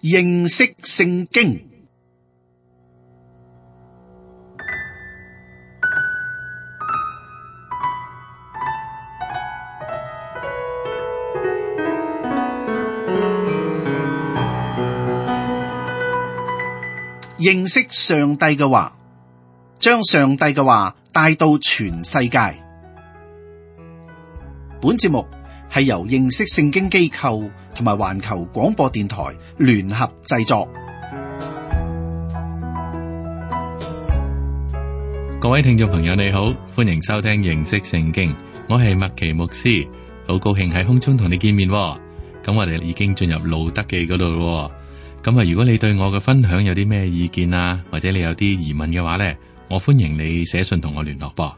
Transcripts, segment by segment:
認識聖經。認識上帝嘅話，將上帝嘅話帶到全世界。本節目係由認識聖經機構同埋環球廣播電台聯合製作。各位聽眾朋友你好，歡迎收聽認識聖經，我係麥奇牧師，好高興喺空中同你見面。咁我哋已經進入路德記嗰度咯。咁啊，如果你對我嘅分享有啲咩意見啊，或者你有啲疑問嘅話呢，我歡迎你寫信同我聯絡噃。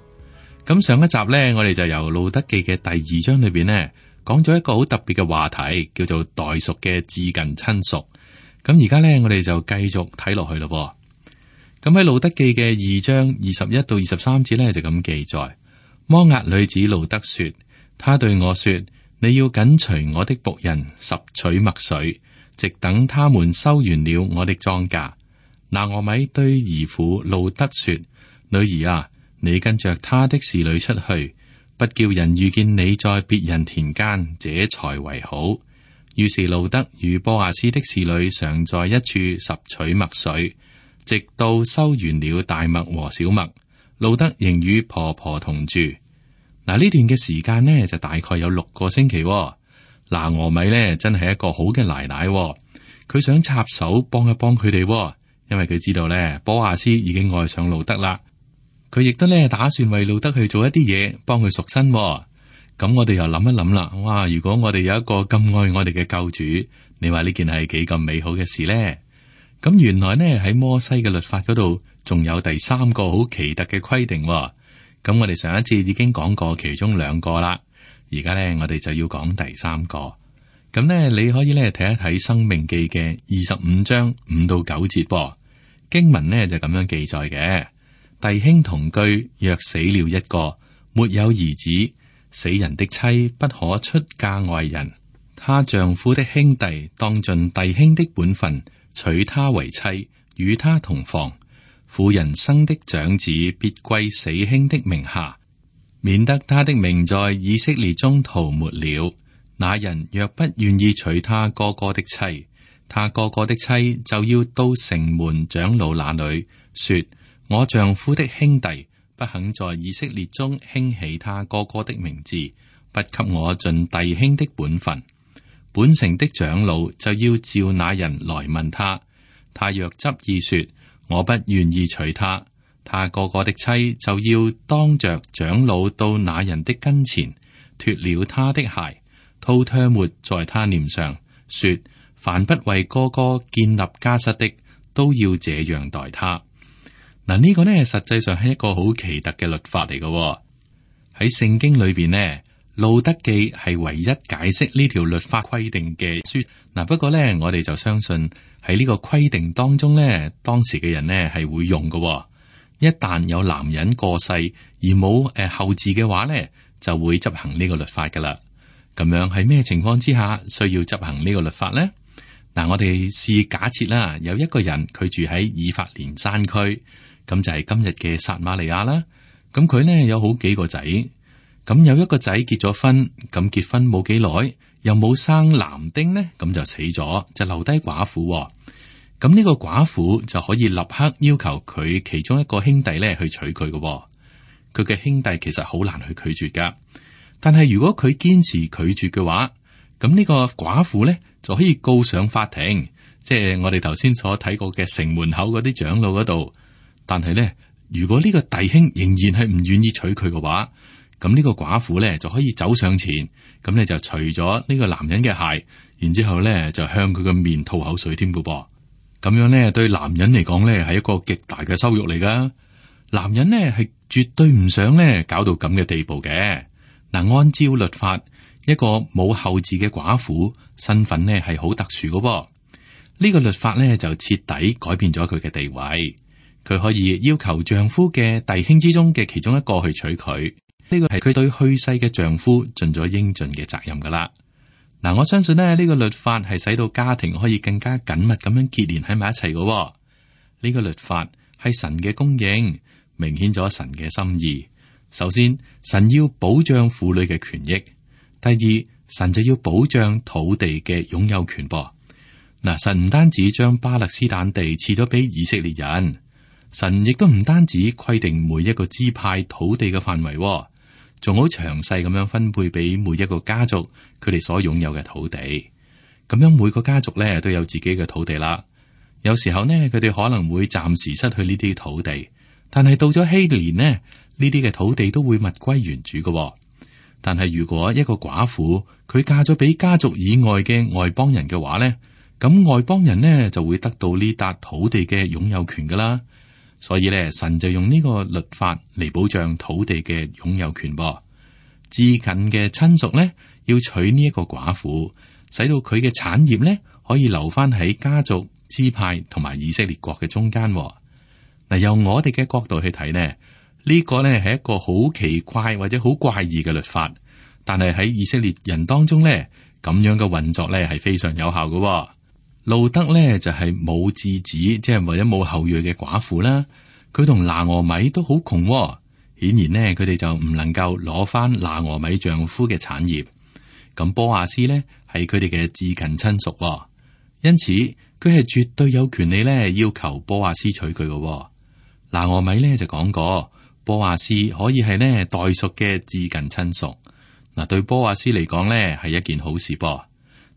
咁上一集呢，我哋就由路德記嘅第2章裏邊呢，講咗一個好特別嘅話題，叫做代贖嘅至近親屬。咁而家呢，我哋就繼續睇落去咯。咁喺路德記嘅2章21到23節呢，就咁記載：摩押女子路德說，他對我說，你要緊隨我的僕人拾取麥穗，直等他們收完了我的莊稼。拿俄米對兒婦路德說，女兒啊，你跟着他的侍女出去，不叫人遇見你在別人田間，這才為好。於是路德與波阿斯的侍女常在一處拾取麥穗，直到收完了大麥和小麥。路德仍與婆婆同住。嗱，呢段嘅時間呢，就大概有6個星期。拿俄米呢，真係一個好嘅奶奶，佢想插手幫一幫佢哋，因為佢知道呢，波阿斯已經愛上路德啦。佢亦都呢打算為路德去做一啲嘢，幫佢贖身。咁我哋又諗一諗啦，哇！如果我哋有一個咁愛我哋嘅救主，你話呢件係幾咁美好嘅事呢？咁原來呢，喺摩西嘅律法嗰度，仲有第3個好奇特嘅規定。咁我哋上一次已經講過其中2個啦。而家咧，我哋就要講第3個。咁咧，你可以咧睇一睇《申命記》嘅25章5到9節噃。經文呢就咁樣記載嘅：弟兄同居，若死了一個，沒有兒子，死人的妻不可出嫁外人。她丈夫的兄弟當盡弟兄的本分，娶她為妻，與她同房。婦人生的長子必歸死兄的名下，免得他的名在以色列中塗抹了。那人若不願意娶他哥哥的妻，他哥哥的妻就要到城門長老那裏說：我丈夫的兄弟不肯在以色列中興起他哥哥的名字，不給我盡弟兄的本分。本城的長老就要召那人來問他，他若執意說我不願意娶他，他哥哥的妻就要當着長老到那人的跟前，脫了他的鞋，吐唾沫在他臉上，說：凡不為哥哥建立家室的，都要這樣待他。嗱，呢個呢，實際上係一個好奇特嘅律法嚟嘅。喺聖經裏邊呢，路德記係唯一解釋呢條律法規定嘅書。嗱，不過呢，我哋就相信喺呢個規定當中呢，當時嘅人呢係會用嘅。一旦有男人過世而冇後嗣嘅話呢，就會執行呢個律法噶啦。咁樣喺咩情況之下需要執行呢個律法呢？嗱，我哋試假設啦，有一個人佢住喺以法蓮山區，咁就係今日嘅撒瑪利亞啦。咁佢呢有好幾個仔，咁有一個仔結咗婚，咁結婚冇幾耐又冇生男丁呢，咁就死咗，就留低寡婦。咁呢個寡婦就可以立刻要求佢其中一個兄弟咧去娶佢嘅。佢嘅兄弟其實好難去拒絕噶，但係如果佢堅持拒絕嘅話，咁呢個寡婦咧就可以告上法庭，即係我哋頭先所睇過嘅城門口嗰啲長老嗰度。但係咧，如果呢個弟兄仍然係唔願意娶佢嘅話，咁呢個寡婦咧就可以走上前，咁咧就除咗呢個男人嘅鞋，然之後咧就向佢嘅面吐口水添嘅噃。咁樣咧，對男人嚟講咧，係一個極大嘅羞辱嚟噶。男人咧係絕對唔想咧搞到咁嘅地步嘅。嗱，按照律法，一個冇後嗣嘅寡婦身份咧係好特殊嘅噃。呢個律法咧就徹底改變咗佢嘅地位。佢可以要求丈夫嘅弟兄之中嘅其中一個去娶佢。呢個係佢對去世嘅丈夫盡咗應盡嘅責任噶啦。嗱，我相信呢個律法係使到家庭可以更加緊密咁樣結連喺埋一齊嘅。呢個律法係神嘅供應，明顯咗神嘅心意。首先，神要保障婦女嘅權益；第二，神就要保障土地嘅擁有權噃。嗱，神唔單止將巴勒斯坦地賜咗俾以色列人，神亦都唔單止規定每一個支派土地嘅範圍，仲好詳細咁樣分配俾每一個家族佢哋所擁有嘅土地。咁樣每個家族咧都有自己嘅土地啦。有時候呢，佢哋可能會暫時失去呢啲土地，但係到咗希年呢，呢啲嘅土地都會物歸原主嘅。但係如果一個寡婦佢嫁咗俾家族以外嘅外邦人嘅話呢，咁外邦人呢就會得到呢笪土地嘅擁有權噶啦。所以咧，神就用呢個律法嚟保障土地嘅擁有權噃。至近嘅親屬咧，要娶呢一個寡婦，使到佢嘅產業咧可以留翻喺家族、支派同埋以色列國嘅中間。嗱，由我哋嘅角度去睇呢，呢個咧係一個好奇怪或者好怪異嘅律法，但係喺以色列人當中咧，咁樣嘅運作咧係非常有效嘅。路德咧就係冇嗣子，即係或者冇後裔嘅寡婦啦。佢同拿俄米都好窮，顯然呢，佢哋就唔能夠攞翻拿俄米丈夫嘅產業。咁波亞斯呢係佢哋嘅至近親屬，因此佢係絕對有權利咧要求波亞斯娶佢嘅。拿俄米呢就講過，波亞斯可以係呢代贖嘅至近親屬。嗱，對波亞斯嚟講呢係一件好事噃。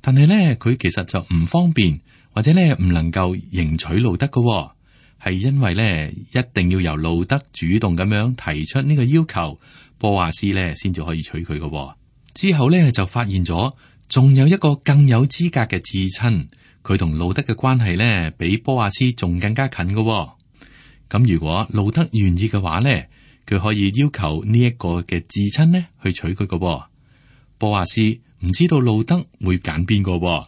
但係咧，佢其實就唔方便，或者咧唔能夠迎娶路德嘅，係因為咧一定要由路德主動咁樣提出呢個要求，波亞斯咧先至可以娶佢嘅。之後咧就發現咗，仲有一個更有資格嘅至親，佢同路德嘅關係咧比波亞斯仲更加近嘅。咁如果路德願意嘅話咧，佢可以要求呢一個嘅至親咧去娶佢嘅。波亞斯唔知道路德會揀邊個，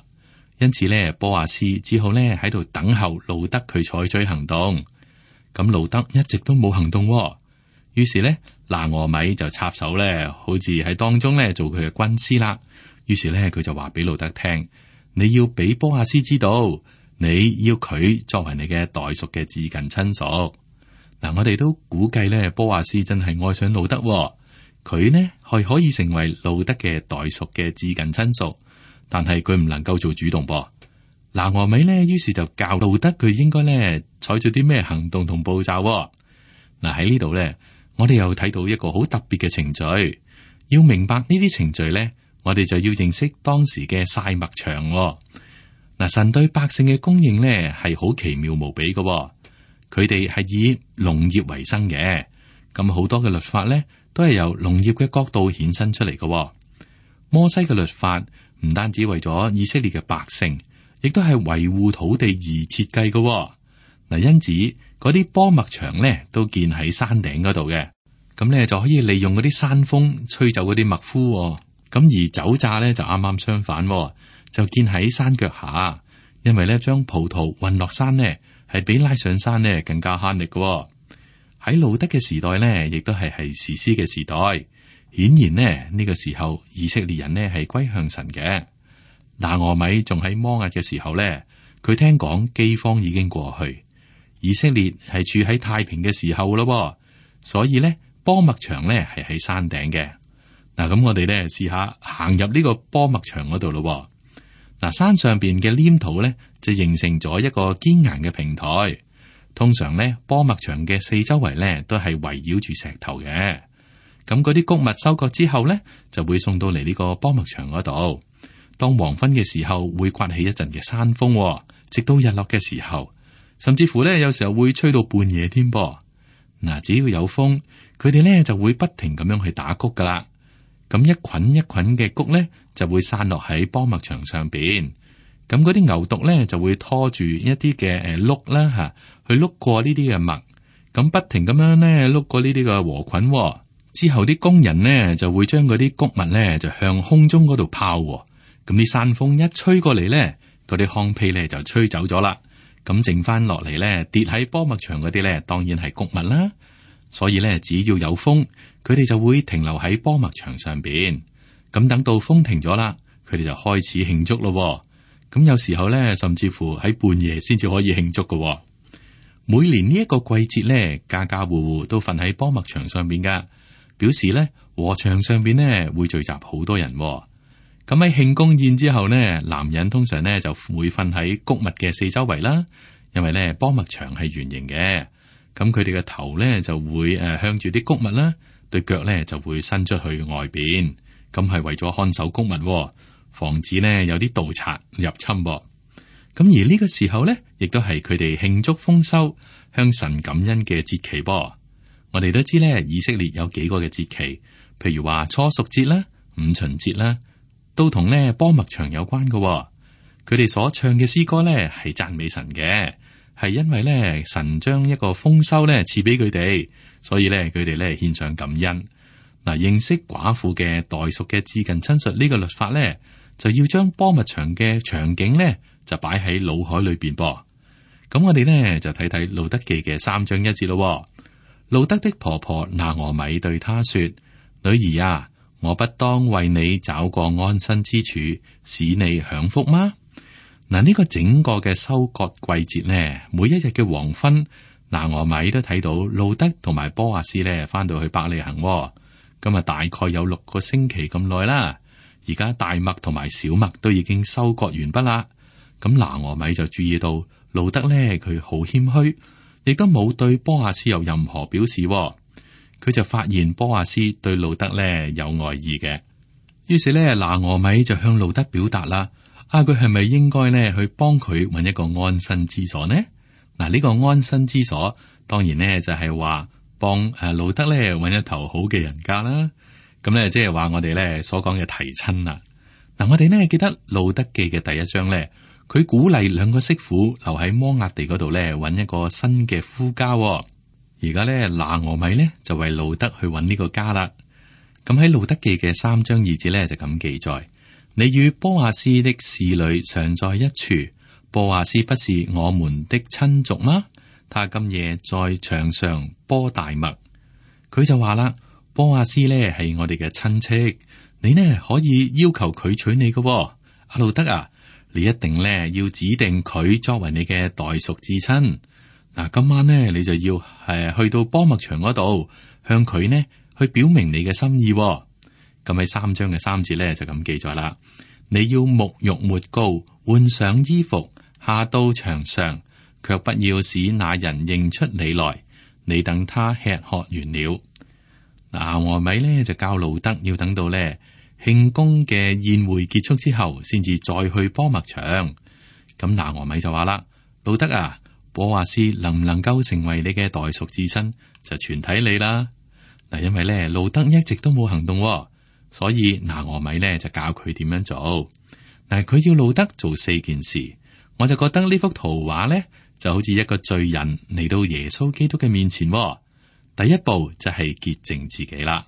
因此咧，波亞斯只好咧喺度等候路德佢採取行動。咁路德一直都冇行動，於是咧，拿俄米就插手咧，好似喺當中咧做佢嘅軍師啦。於是咧，佢就話俾路德聽：你要俾波亞斯知道，你要佢作為你嘅代贖嘅至近親屬。嗱，我哋都估計咧，波亞斯真係愛上路德。佢呢係可以成為路德嘅代贖嘅至近親屬，但係佢唔能夠做主動噃。拿俄米呢，於是就教路德佢應該呢採取啲咩行動同步驟。嗱，喺呢度呢，我哋又睇到一個好特別嘅程序。要明白呢啲程序呢，我哋就要認識當時嘅曬麥場。嗱，神對百姓嘅供應呢係好奇妙無比嘅，佢哋係以農業為生嘅，咁好多嘅律法呢，都係由農業嘅角度衍生出嚟嘅。摩西嘅律法唔單止為咗以色列嘅百姓，亦都係維護土地而設計嘅。嗱，因此嗰啲波麥場咧都建喺山頂嗰度嘅，咁咧就可以利用嗰啲山風吹走嗰啲麥麩。咁而酒榨咧就啱啱相反，就建喺山腳下，因為咧將葡萄運落山呢，係比拉上山呢更加慳力嘅。喺路德嘅時代呢，亦都係士師嘅時代。顯然呢，呢個時候以色列人呢係歸向神嘅。拿俄米仲喺摩押嘅時候呢，佢聽講饑荒已經過去，以色列係處喺太平嘅時候咯。所以呢，波麥場呢係喺山頂嘅。嗱，咁我哋呢試下行入呢個波麥場嗰度咯。嗱，山上邊嘅黏土呢，就形成咗一個堅硬嘅平台。通常咧，波麥場嘅四周圍咧都係圍繞住石頭嘅。咁嗰啲穀物收割之後咧，就會送到嚟呢個波麥場嗰度。當黃昏嘅時候，會颳起一陣嘅山風，直到日落嘅時候，甚至乎咧有時候會吹到半夜添噃。嗱，只要有風，佢哋咧就會不停咁樣去打穀噶啦。咁一捆一捆嘅穀咧就會散落喺波麥場上邊。咁嗰啲牛犢咧就會拖住一啲嘅碌啦吓，去碌過呢啲嘅麥，咁不停咁樣咧碌過呢啲嘅禾捆。之後啲工人呢就會將嗰啲穀物咧就向空中嗰度拋。咁啲山風一吹過嚟咧，嗰啲糠秕咧就吹走咗啦。咁剩翻落嚟咧跌喺波麥場嗰啲咧，當然係穀物啦。所以咧只要有風，佢哋就會停留喺波麥場上邊。咁等到風停咗啦，佢哋就開始慶祝咯。咁有時候咧，甚至乎喺半夜先至可以慶祝㗎。每年呢一個季節咧，家家戶戶都瞓喺波麥場上邊噶，表示咧禾場上邊咧會聚集好多人。咁喺慶功宴之後呢，男人通常咧就會瞓喺穀物嘅四周圍啦，因為咧波麥場係圓形嘅，咁佢哋嘅頭咧就會向住啲穀物啦，對腳咧就會伸出去外邊，咁係為咗看守穀物，防止呢有啲盜賊入侵。咁而呢個時候咧，亦都係佢哋慶祝豐收、向神感恩嘅節期噃。我哋都知咧，以色列有幾個嘅節期，譬如話初熟節啦、五旬節啦，都同咧波麥場有關嘅。佢哋所唱嘅詩歌咧係讚美神嘅，係因為咧神將一個豐收咧賜俾佢哋，所以咧佢哋咧獻上感恩。嗱，認識寡婦嘅代贖嘅至近親屬呢個律法咧，就要將波麥場嘅場景咧，就擺喺腦海裏邊噃。咁我哋呢，就睇睇路德記嘅3章1節咯。路德的婆婆拿俄米對他說：女兒啊，我不當為你找個安身之處，使你享福嗎？嗱，呢個整個嘅收割季節呢，每一日嘅黃昏，拿俄米都睇到路德同埋波阿斯呢翻到去伯利恆。咁啊，大概有6個星期咁耐啦。而家大麥同埋小麥都已經收割完畢啦。咁拿俄米就注意到路德咧，佢好謙虛，亦都冇對波阿斯有任何表示。佢就發現波阿斯對路德咧有愛意嘅，於是咧拿俄米就向路德表達啦。佢係咪應該咧去幫佢揾一個安身之所呢？嗱，呢個安身之所當然咧就係話幫路德咧揾一頭好嘅人家啦。咁咧即係話我哋咧所講嘅提親啦。嗱，我哋呢記得路德記嘅第1章咧。佢鼓勵2個媳婦留喺摩押地嗰度咧，揾一個新嘅夫家。而家咧，拿俄米咧就為路德去揾呢個家啦。咁喺路德記嘅3章2節咧就咁記載：你與波阿斯的侍女常在一處，波阿斯不是我們的親族嗎？他今夜在場上播大麥。佢就話啦，波阿斯咧係我哋嘅親戚，你呢可以要求佢娶你嘅。阿路德啊！你一定咧要指定佢作為你嘅代贖至親。嗱，今晚呢，你就要去到波麥場嗰度，向佢呢去表明你嘅心意。咁喺3章嘅3節咧就咁記載啦。你要沐浴抹膏，換上衣服，下到場上，卻不要使那人認出你來。你等他吃喝完了。拿俄米咧就教路德要等到咧慶功嘅宴會結束之後，先至再去波麥場。咁拿俄米就話啦：路德啊，波阿斯能唔能夠成為你嘅代贖至親，就全睇你啦。嗱，因為咧路德一直都冇行動，所以拿俄米咧就教佢點樣做。嗱，佢要路德做4件事，我就覺得呢幅圖畫咧就好似一個罪人嚟到耶穌基督嘅面前。第一步就係潔淨自己啦。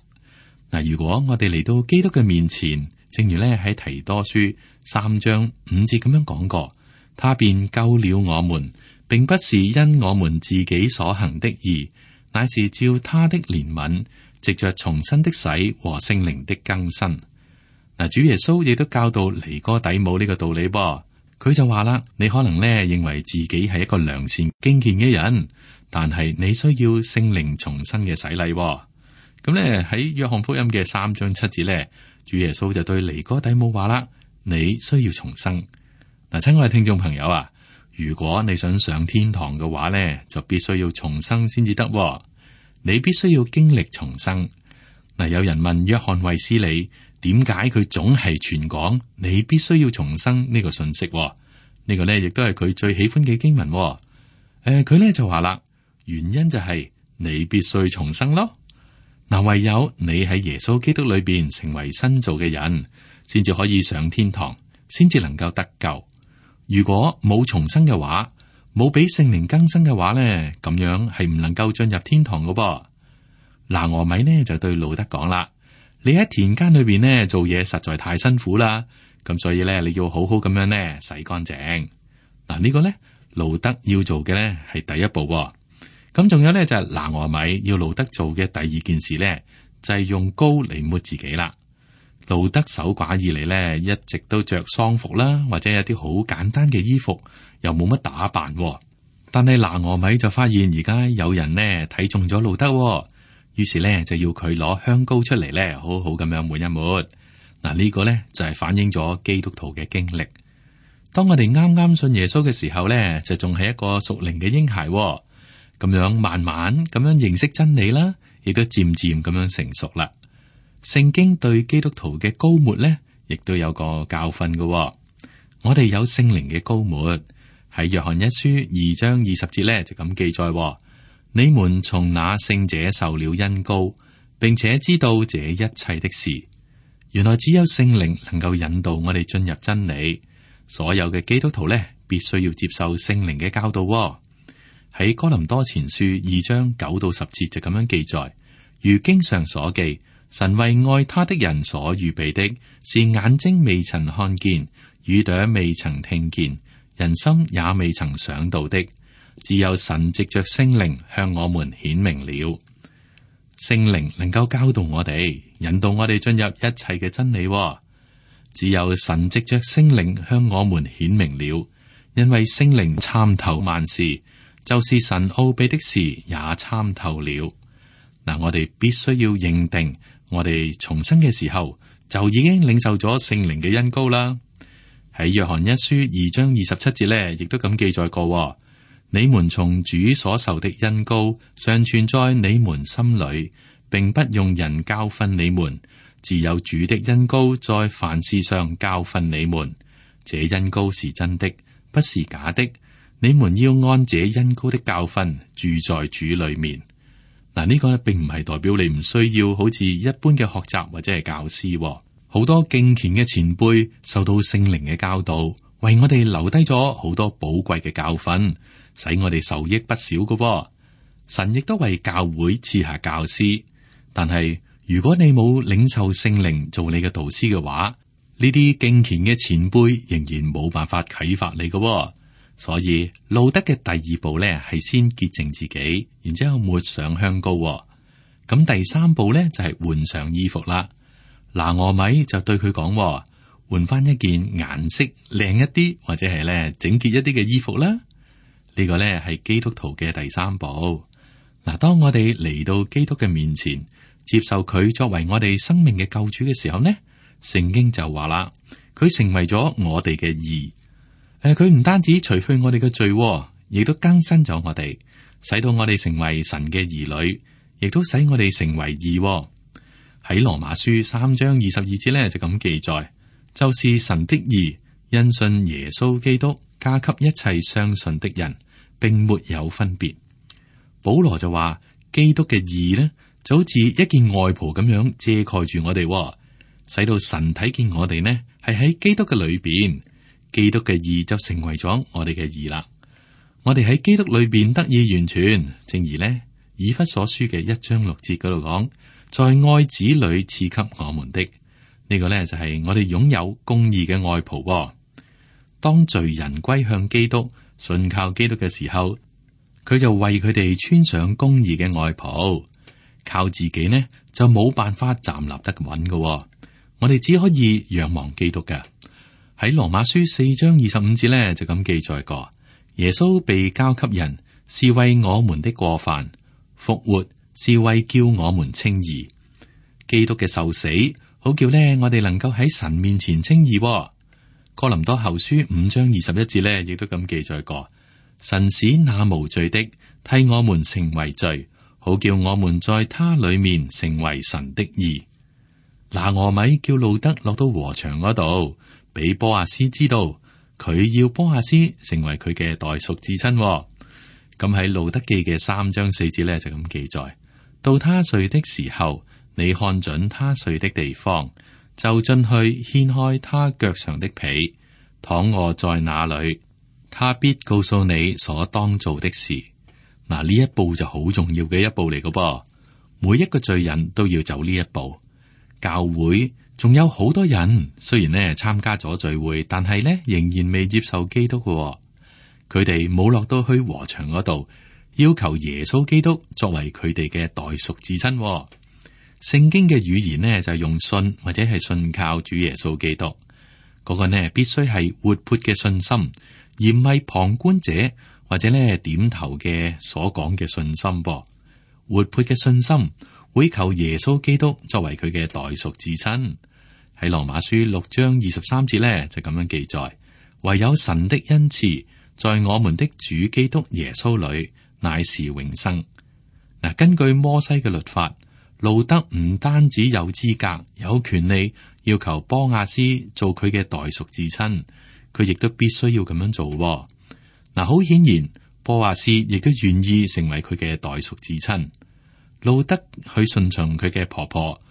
嗱，如果我哋嚟到基督嘅面前，正如咧喺提多書3章5節咁樣講過，他便救了我們，並不是因我們自己所行的義，乃是照他的憐憫，藉着重生的洗和聖靈的更新。嗱，主耶穌亦都教導尼哥底母呢個道理噃，佢就話啦：你可能咧認為自己係一個良善敬虔嘅人，但係你需要聖靈重生嘅洗禮。咁咧喺約翰福音嘅3章7節咧，主耶穌就對尼哥底母話啦：你需要重生。嗱，親愛嘅聽眾朋友啊，如果你想上天堂嘅話咧，就必須要重生先至得。你必須要經歷重生。嗱，有人問約翰衛斯理點解佢總係傳講你必須要重生呢個信息？呢個咧亦都係佢最喜歡嘅經文。佢咧就話啦，原因就係你必須重生咯。嗱，唯有你喺耶穌基督裏邊成為新造嘅人，先至可以上天堂，先至能夠得救。如果冇重生嘅話，冇俾聖靈更新嘅話咧，咁樣係唔能夠進入天堂㗎噃。拿俄米呢就對路德講啦：你喺田間裏邊呢做嘢實在太辛苦啦，咁所以咧你要好好咁樣呢洗乾淨。嗱，呢個咧路德要做嘅咧係第一步。咁仲有咧就係拿俄米要路德做嘅第2件事咧，就係用膏嚟抹自己啦。路德守寡以嚟呢，一直都着喪服啦，或者有啲好簡單嘅衣服，又冇乜打扮。但係拿俄米就發現而家有人呢睇中咗路德，於是呢就要佢攞香膏出嚟呢，好好咁樣抹一抹。嗱，呢個呢就係反映咗基督徒嘅經歷。當我哋啱啱信耶穌嘅時候呢，就仲係一個屬靈嘅嬰孩，咁樣慢慢咁樣認識真理啦，亦都漸漸咁樣成熟啦。聖經對基督徒嘅膏抹呢，亦都有個教訓嘅。我哋有聖靈嘅膏抹，喺約翰一書2章20節呢，就咁記載：你們從那聖者受了恩膏，並且知道這一切的事。原來只有聖靈能夠引導我哋進入真理。所有嘅基督徒呢，必須要接受聖靈嘅教導。喺哥林多前書2章9到10節就咁樣記載：如經上所記，神為愛他的人所預備的，是眼睛未曾看見，耳朵未曾聽見，人心也未曾想到的，只有神藉着聖靈向我們顯明了。聖靈能夠教導我哋，引導我哋進入一切嘅真理。只有神藉着聖靈向我們顯明了，因為聖靈參透萬事，就是神奧秘的事也參透了。嗱，我哋必須要認定，我哋重生嘅時候就已經領受咗聖靈嘅恩膏啦。喺約翰一書2章27節呢，亦都咁記載過：你們從主所受的恩膏常存在你們心裏，並不用人教訓你們，只有主的恩膏在凡事上教訓你們。這恩膏是真的，不是假的。你們要按這恩膏的教訓住在主裏面。嗱，呢個並唔係代表你唔需要好似一般嘅學習或者係教師。好多敬虔嘅前輩受到聖靈嘅教導，為我哋留低咗好多寶貴嘅教訓，使我哋受益不少嘅。神亦都為教會賜下教師，但係如果你冇領受聖靈做你嘅導師嘅話，呢啲敬虔嘅前輩仍然冇辦法啟發你嘅。所以路德嘅第二步呢，係先潔淨自己，然之後抹上香膏。咁第三步呢，就係換上衣服啦。拿俄米就對佢講：換翻一件顏色靚一啲，或者係咧整潔一啲嘅衣服啦。呢個呢，係基督徒嘅第三步。嗱，當我哋嚟到基督嘅面前，接受佢作為我哋生命嘅救主嘅時候呢，聖經就話啦，佢成為咗我哋嘅義。佢唔單止除去我哋嘅罪，亦都更新咗我哋，使到我哋成為神嘅兒女，亦都使我哋成為義。喺羅馬書3章22節咧就咁記載，就是神的義，因信耶穌基督加給一切相信的人，並沒有分別。保羅就話，基督嘅義呢，就好似一件外袍咁樣遮蓋住我哋，使到神睇見我哋呢係喺基督嘅裏邊。基督嘅義就成為咗我哋嘅義啦。我哋喺基督裏邊得以完全，正如呢以弗所書嘅1章6節嗰度講，在愛子裏賜給我們的呢個呢，就係我哋擁有公義嘅外袍。當罪人歸向基督，信靠基督嘅時候，佢就為佢哋穿上公義嘅外袍。靠自己呢就冇辦法站立得穩嘅，我哋只可以仰望基督嘅。喺羅馬書4章25節咧就咁記載過，耶穌被交給人，是為我們的過犯；復活是為叫我們稱義。基督嘅受死，好叫呢我哋能夠喺神面前稱義。哥林多後書5章21節咧亦都咁記載過，神使那無罪的替我們成為罪，好叫我們在他裏面成為神的義。拿俄米叫路德落到禾場嗰度，俾波阿斯知道，佢要波阿斯成為佢嘅代贖至親。咁喺路德記嘅3章4節咧就咁記載，到他睡的時候，你看準他睡的地方，就進去掀開他腳上的被，躺臥在那裏，他必告訴你所當做的事。嗱，呢一步就好重要嘅一步嚟嘅噃，每一個罪人都要走呢一步。教會仲有好多人，雖然呢參加咗聚會，但係呢仍然未接受基督嘅。佢哋冇落到去禾場嗰度，要求耶穌基督作為佢哋嘅代贖至親。聖經嘅語言呢，就係用信或者係信靠主耶穌基督。嗰個呢必須係活潑嘅信心，而唔係旁觀者或者呢點頭嘅所講嘅信心噃。活潑嘅信心會求耶穌基督作為佢嘅代贖至親。喺羅馬書6章23節呢，就咁樣記載：唯有神的恩賜在我們的主基督耶穌裏乃是永生。嗱，根據摩西嘅律法，路德唔單止有資格、有權利要求波亞斯做佢嘅代贖至親，佢亦都必須要咁樣做。嗱，好顯然，波亞斯亦都願意成為佢嘅代贖至親。路德去順從佢嘅婆婆，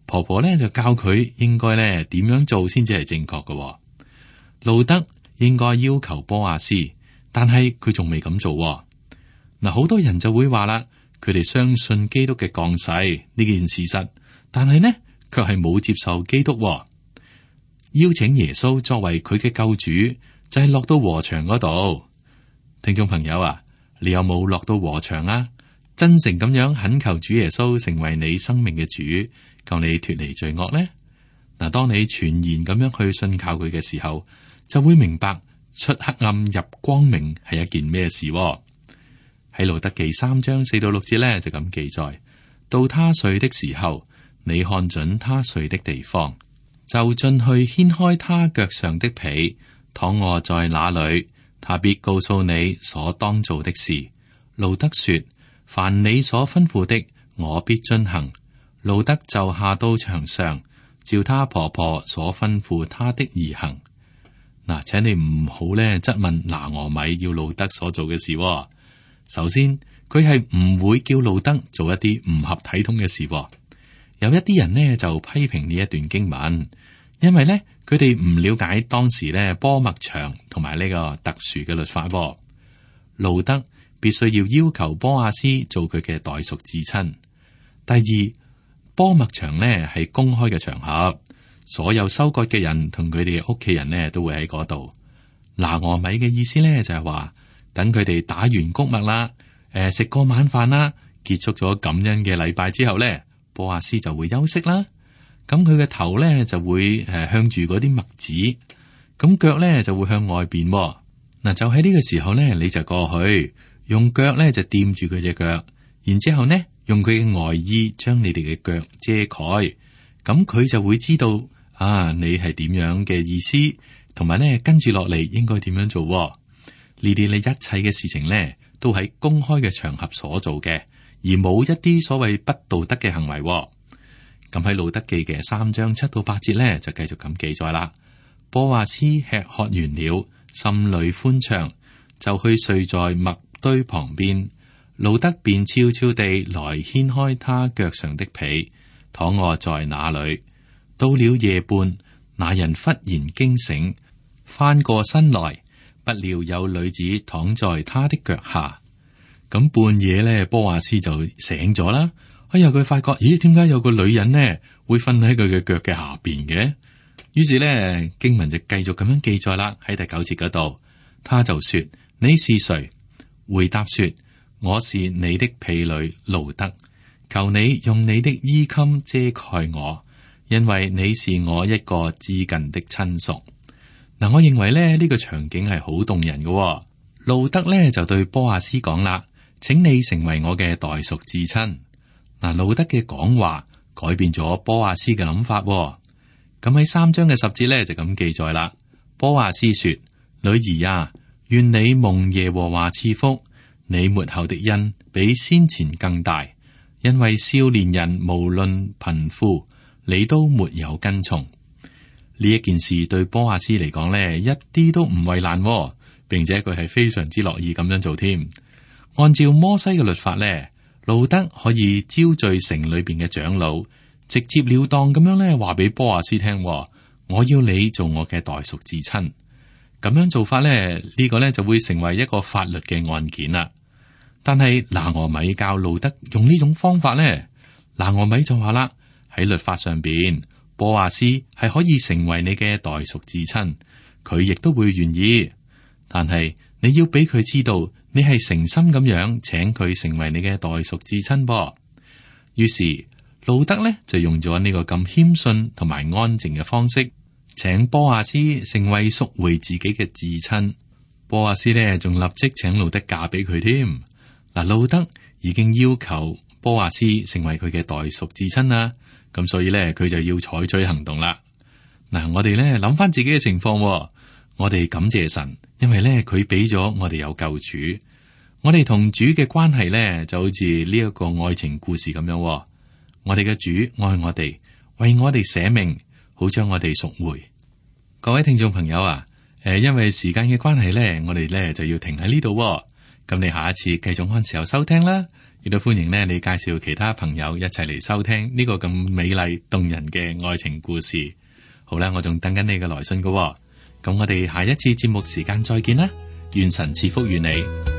婆婆咧就教佢應該咧點樣做先至係正確嘅。路德應該要求波亞斯，但係佢仲未咁做。嗱，好多人就會話啦，佢哋相信基督嘅降世呢件事實，但係呢卻係冇接受基督。邀請耶穌作為佢嘅救主，就係落到禾場嗰度。聽眾朋友啊，你有冇落到禾場啊？真誠咁樣懇求主耶穌成為你生命嘅主，救你脫離罪惡呢？嗱，當你全然咁樣去信靠佢嘅時候，就會明白出黑暗入光明係一件咩事。喺路德記3章4到6節咧就咁記載：到他睡的時候，你看準他睡的地方，就進去掀開他腳上的被，躺臥在那裏，他必告訴你所當做的事。路德說：凡你所吩咐的，我必遵行。路德就下到牆上，照他婆婆所吩咐他的而行。嗱，請你唔好咧質問拿俄米要路德所做嘅事。首先，佢係唔會叫路德做一啲唔合體統嘅事。有一啲人呢就批評呢一段經文，因為呢，佢哋唔了解當時呢波麥場同埋呢個特殊嘅律法。路德必須要求波亞斯做佢嘅代贖至親。第二，波麥場呢係公開嘅場合，所有收割嘅人同佢哋屋企人呢都會喺嗰度。拿俄米嘅意思呢就係話，等佢哋打完穀物啦，食過晚飯啦，結束咗感恩嘅禮拜之後呢，波亞斯就會休息啦。咁佢嘅頭呢就會向住嗰啲麥子，咁腳呢就會向外邊。嗱，就喺呢個時候呢，你就過去用腳呢就掂住佢隻腳，然之後呢用佢嘅外衣將你哋嘅腳遮蓋，咁佢就會知道啊你係點樣嘅意思，同埋呢跟住落嚟應該點樣做。呢啲你一切嘅事情呢，都喺公開嘅場合所做嘅，而冇一啲所謂不道德嘅行為。咁喺路德記嘅3章7到8節呢，就繼續咁記載啦。波亞斯吃喝完了，心裏歡暢，就去睡在麥堆旁邊。路德便悄悄地來掀開他腳上的被，躺臥在那裏。到了夜半，那人忽然驚醒，翻過身來，不料有女子躺在他的腳下。咁半夜咧，波亞斯就醒咗啦。哎呀，佢發覺，咦，點解有個女人呢會瞓喺佢嘅腳嘅下邊嘅？於是咧，經文就繼續咁樣記載啦。喺第9節嗰度，他就說：你是誰？回答說：我是你的婢女路德，求你用你的衣襟遮蓋我，因為你是我一個至近的親屬。嗱，我認為咧呢個場景係好動人嘅。路德咧就對波亞斯講啦：請你成為我嘅代贖至親。嗱，路德嘅講話改變咗波亞斯嘅諗法。咁喺3章嘅10節咧就咁記載啦。波亞斯說：女兒啊，願你蒙耶和華賜福，你末後的恩比先前更大，因為少年人無論貧富，你都沒有跟從。呢一件事對波亞斯嚟講呢，一啲都唔為難，並且佢係非常之樂意咁樣做添。按照摩西嘅律法呢，路德可以招聚城裏邊嘅長老，直接了當咁樣呢話俾波亞斯聽，我要你做我嘅代贖至親。咁樣做法呢，呢個呢就會成為一個法律嘅案件啦。但係拿俄米教路德用呢種方法呢，拿俄米就話啦，喺律法上邊，波亞斯係可以成為你嘅代贖至親，佢亦都會願意。但係你要俾佢知道，你係誠心咁樣請佢成為你嘅代贖至親噃。於是路德呢就用咗呢個咁謙遜同埋安靜嘅方式，請波阿斯成為贖回自己嘅至親。波阿斯呢仲立即請路德嫁俾佢添。嗱，路德已經要求波阿斯成為佢嘅代贖至親啦，咁所以呢，佢就要採取行動啦。嗱，我哋呢諗翻自己嘅情況，我哋感謝神，因為呢佢俾咗我哋有救主。我哋同主嘅關係呢就好似呢一個愛情故事咁樣，我哋嘅主愛我哋，為我哋捨命，好將我哋贖回。各位聽眾朋友啊，因為時間嘅關係呢，我哋呢就要停喺呢度。咁你下一次繼續按時候收聽啦，亦都歡迎呢你介紹其他朋友一齊嚟收聽呢個咁美麗動人嘅愛情故事。好啦，我仲等緊你嘅來信㗎。咁我哋下一次節目時間再見啦，願神賜福於你。